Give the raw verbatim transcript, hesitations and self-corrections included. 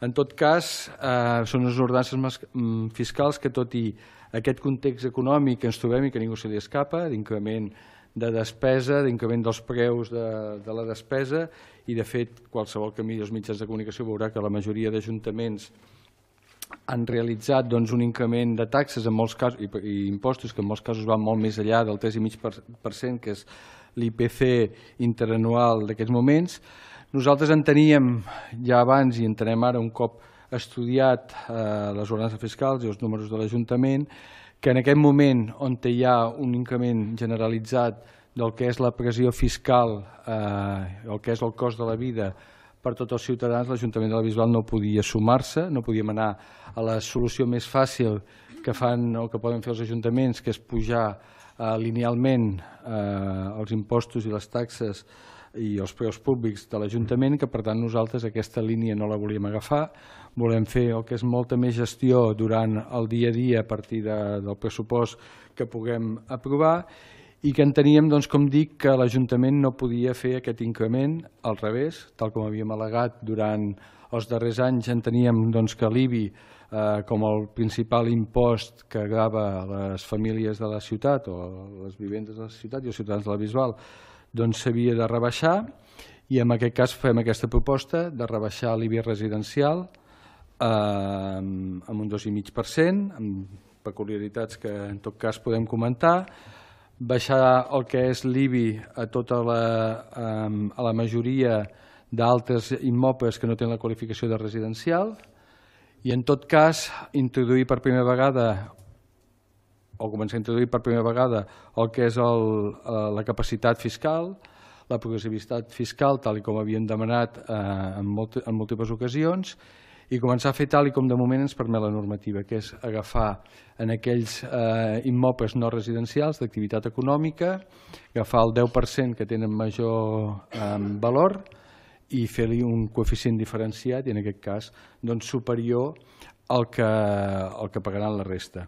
En tot cas, eh, són unes ordenances fiscals que, tot i aquest context econòmic que ens trobem i que ningú se li escapa, d'increment de despesa, d'increment dels preus de, de la despesa, i de fet qualsevol que miri els mitjans de comunicació veurà que la majoria d'ajuntaments han realitzat doncs, un increment de taxes en molts casos, i, i impostos que en molts casos van molt més enllà del tres coma cinc per cent, que és l'I P C interanual d'aquests moments. Nosaltres enteníem ja abans i entenem ara un cop estudiat eh, les ordenances fiscals i els números de l'Ajuntament, que en aquest moment on hi ha un increment generalitzat del que és la pressió fiscal, eh, el que és el cost de la vida per tots els ciutadans, l'Ajuntament de la Bisbal no podia sumar-se, no podíem anar a la solució més fàcil que fan o que poden fer els ajuntaments, que és pujar eh, linealment eh, els impostos i les taxes i els preus públics de l'Ajuntament, que per tant nosaltres aquesta línia no la volíem agafar, volem fer el que és molta més gestió durant el dia a dia a partir de, del pressupost que puguem aprovar, i que enteníem, doncs, com dic, que l'Ajuntament no podia fer aquest increment al revés, tal com havíem al·legat durant els darrers anys. Enteníem doncs, que l'I B I, eh, com el principal impost que grava les famílies de la ciutat o les vivendes de la ciutat i els ciutadans de la Bisbal, doncs s'havia de rebaixar, i en aquest cas fem aquesta proposta de rebaixar l'I B I residencial eh, amb un dos coma cinc per cent, amb peculiaritats que en tot cas podem comentar, baixar el que és l'I B I a tota la, a la majoria d'altres immobles que no tenen la qualificació de residencial, i en tot cas introduir per primera vegada o començar a introduir per primera vegada el que és el, la capacitat fiscal, la progressivitat fiscal, tal com havíem demanat eh, en, molt, en múltiples ocasions, i començar a fer tal com de moment ens permet la normativa, que és agafar en aquells eh, immobles no residencials d'activitat econòmica, agafar el deu per cent que tenen major eh, valor i fer-li un coeficient diferenciat, i en aquest cas doncs, superior al que, al que pagaran la resta.